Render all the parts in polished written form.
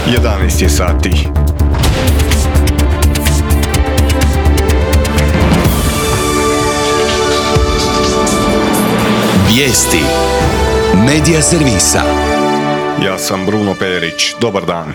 11 je sati. Vijesti Medija servisa. Ja sam Bruno Perić. Dobar dan.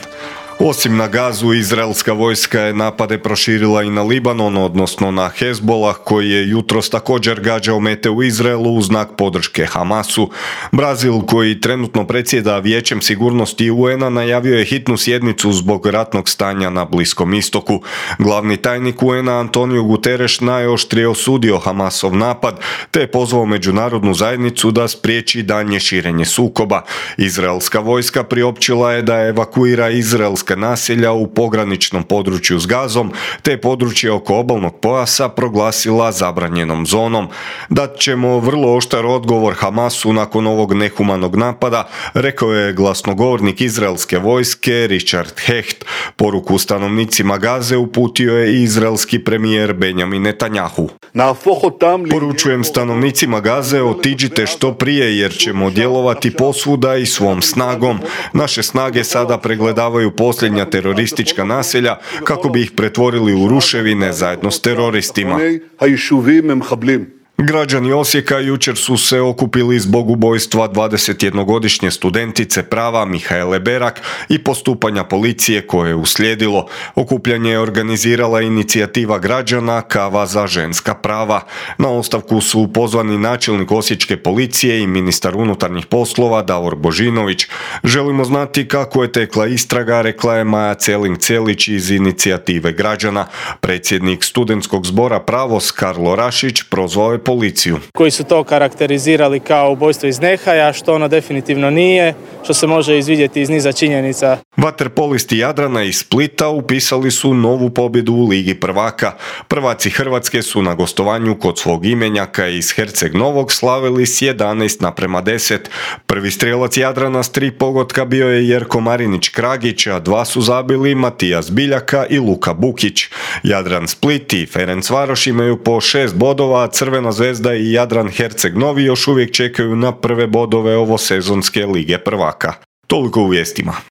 Osim na Gazu, izraelska vojska je napade proširila i na Libanon, odnosno na Hezbolah, koji je jutros također gađao mete u Izraelu u znak podrške Hamasu. Brazil, koji trenutno predsjeda Vijećem sigurnosti UN-a, najavio je hitnu sjednicu zbog ratnog stanja na Bliskom istoku. Glavni tajnik UN-a Antonio Guterres najoštrije osudio Hamasov napad, te je pozvao međunarodnu zajednicu da spriječi daljnje širenje sukoba. Izraelska vojska priopćila je da evakuira izraelska naselja u pograničnom području s Gazom, te područje oko obalnog pojasa proglasila zabranjenom zonom. Dat ćemo vrlo oštar odgovor Hamasu nakon ovog nehumanog napada, rekao je glasnogovornik izraelske vojske Richard Hecht. Poruku stanovnicima Gaze uputio je i izraelski premijer Benjamin Netanjahu. Poručujem stanovnicima Gaze, otiđite što prije jer ćemo djelovati posvuda i svom snagom. Naše snage sada pregledavaju posljednja teroristička naselja kako bi ih pretvorili u ruševine zajedno s teroristima. Građani Osijeka jučer su se okupili zbog ubojstva 21-godišnje studentice prava Mihaele Berak i postupanja policije koje je uslijedilo. Okupljanje je organizirala inicijativa građana Kava za ženska prava. Na ostavku su pozvani načelnik osječke policije i ministar unutarnjih poslova Davor Božinović. Želimo znati kako je tekla istraga, rekla je Maja Celing-Celić iz inicijative građana. Predsjednik studentskog zbora Pravos Karlo Rašić prozvao je policiju. Koji su to karakterizirali kao ubojstvo iz nehaja, što ono definitivno nije, što se može izvidjeti iz niza činjenica. Vaterpolisti Jadrana iz Splita upisali su novu pobjedu u Ligi prvaka. Prvaci Hrvatske su na gostovanju kod svog imenjaka iz Herceg Novog slavili s 11:10. Prvi strijelac Jadrana s 3 pogotka bio je Jerko Marinić Kragić, a 2 su zabili Matijas Biljaka i Luka Bukić. Jadran Split i Ferencvaroš imaju po 6 bodova, a Crvena zvezda i Jadran Herceg Novi još uvijek čekaju na prve bodove ovosezonske Lige prvaka. Toliko u vijestima.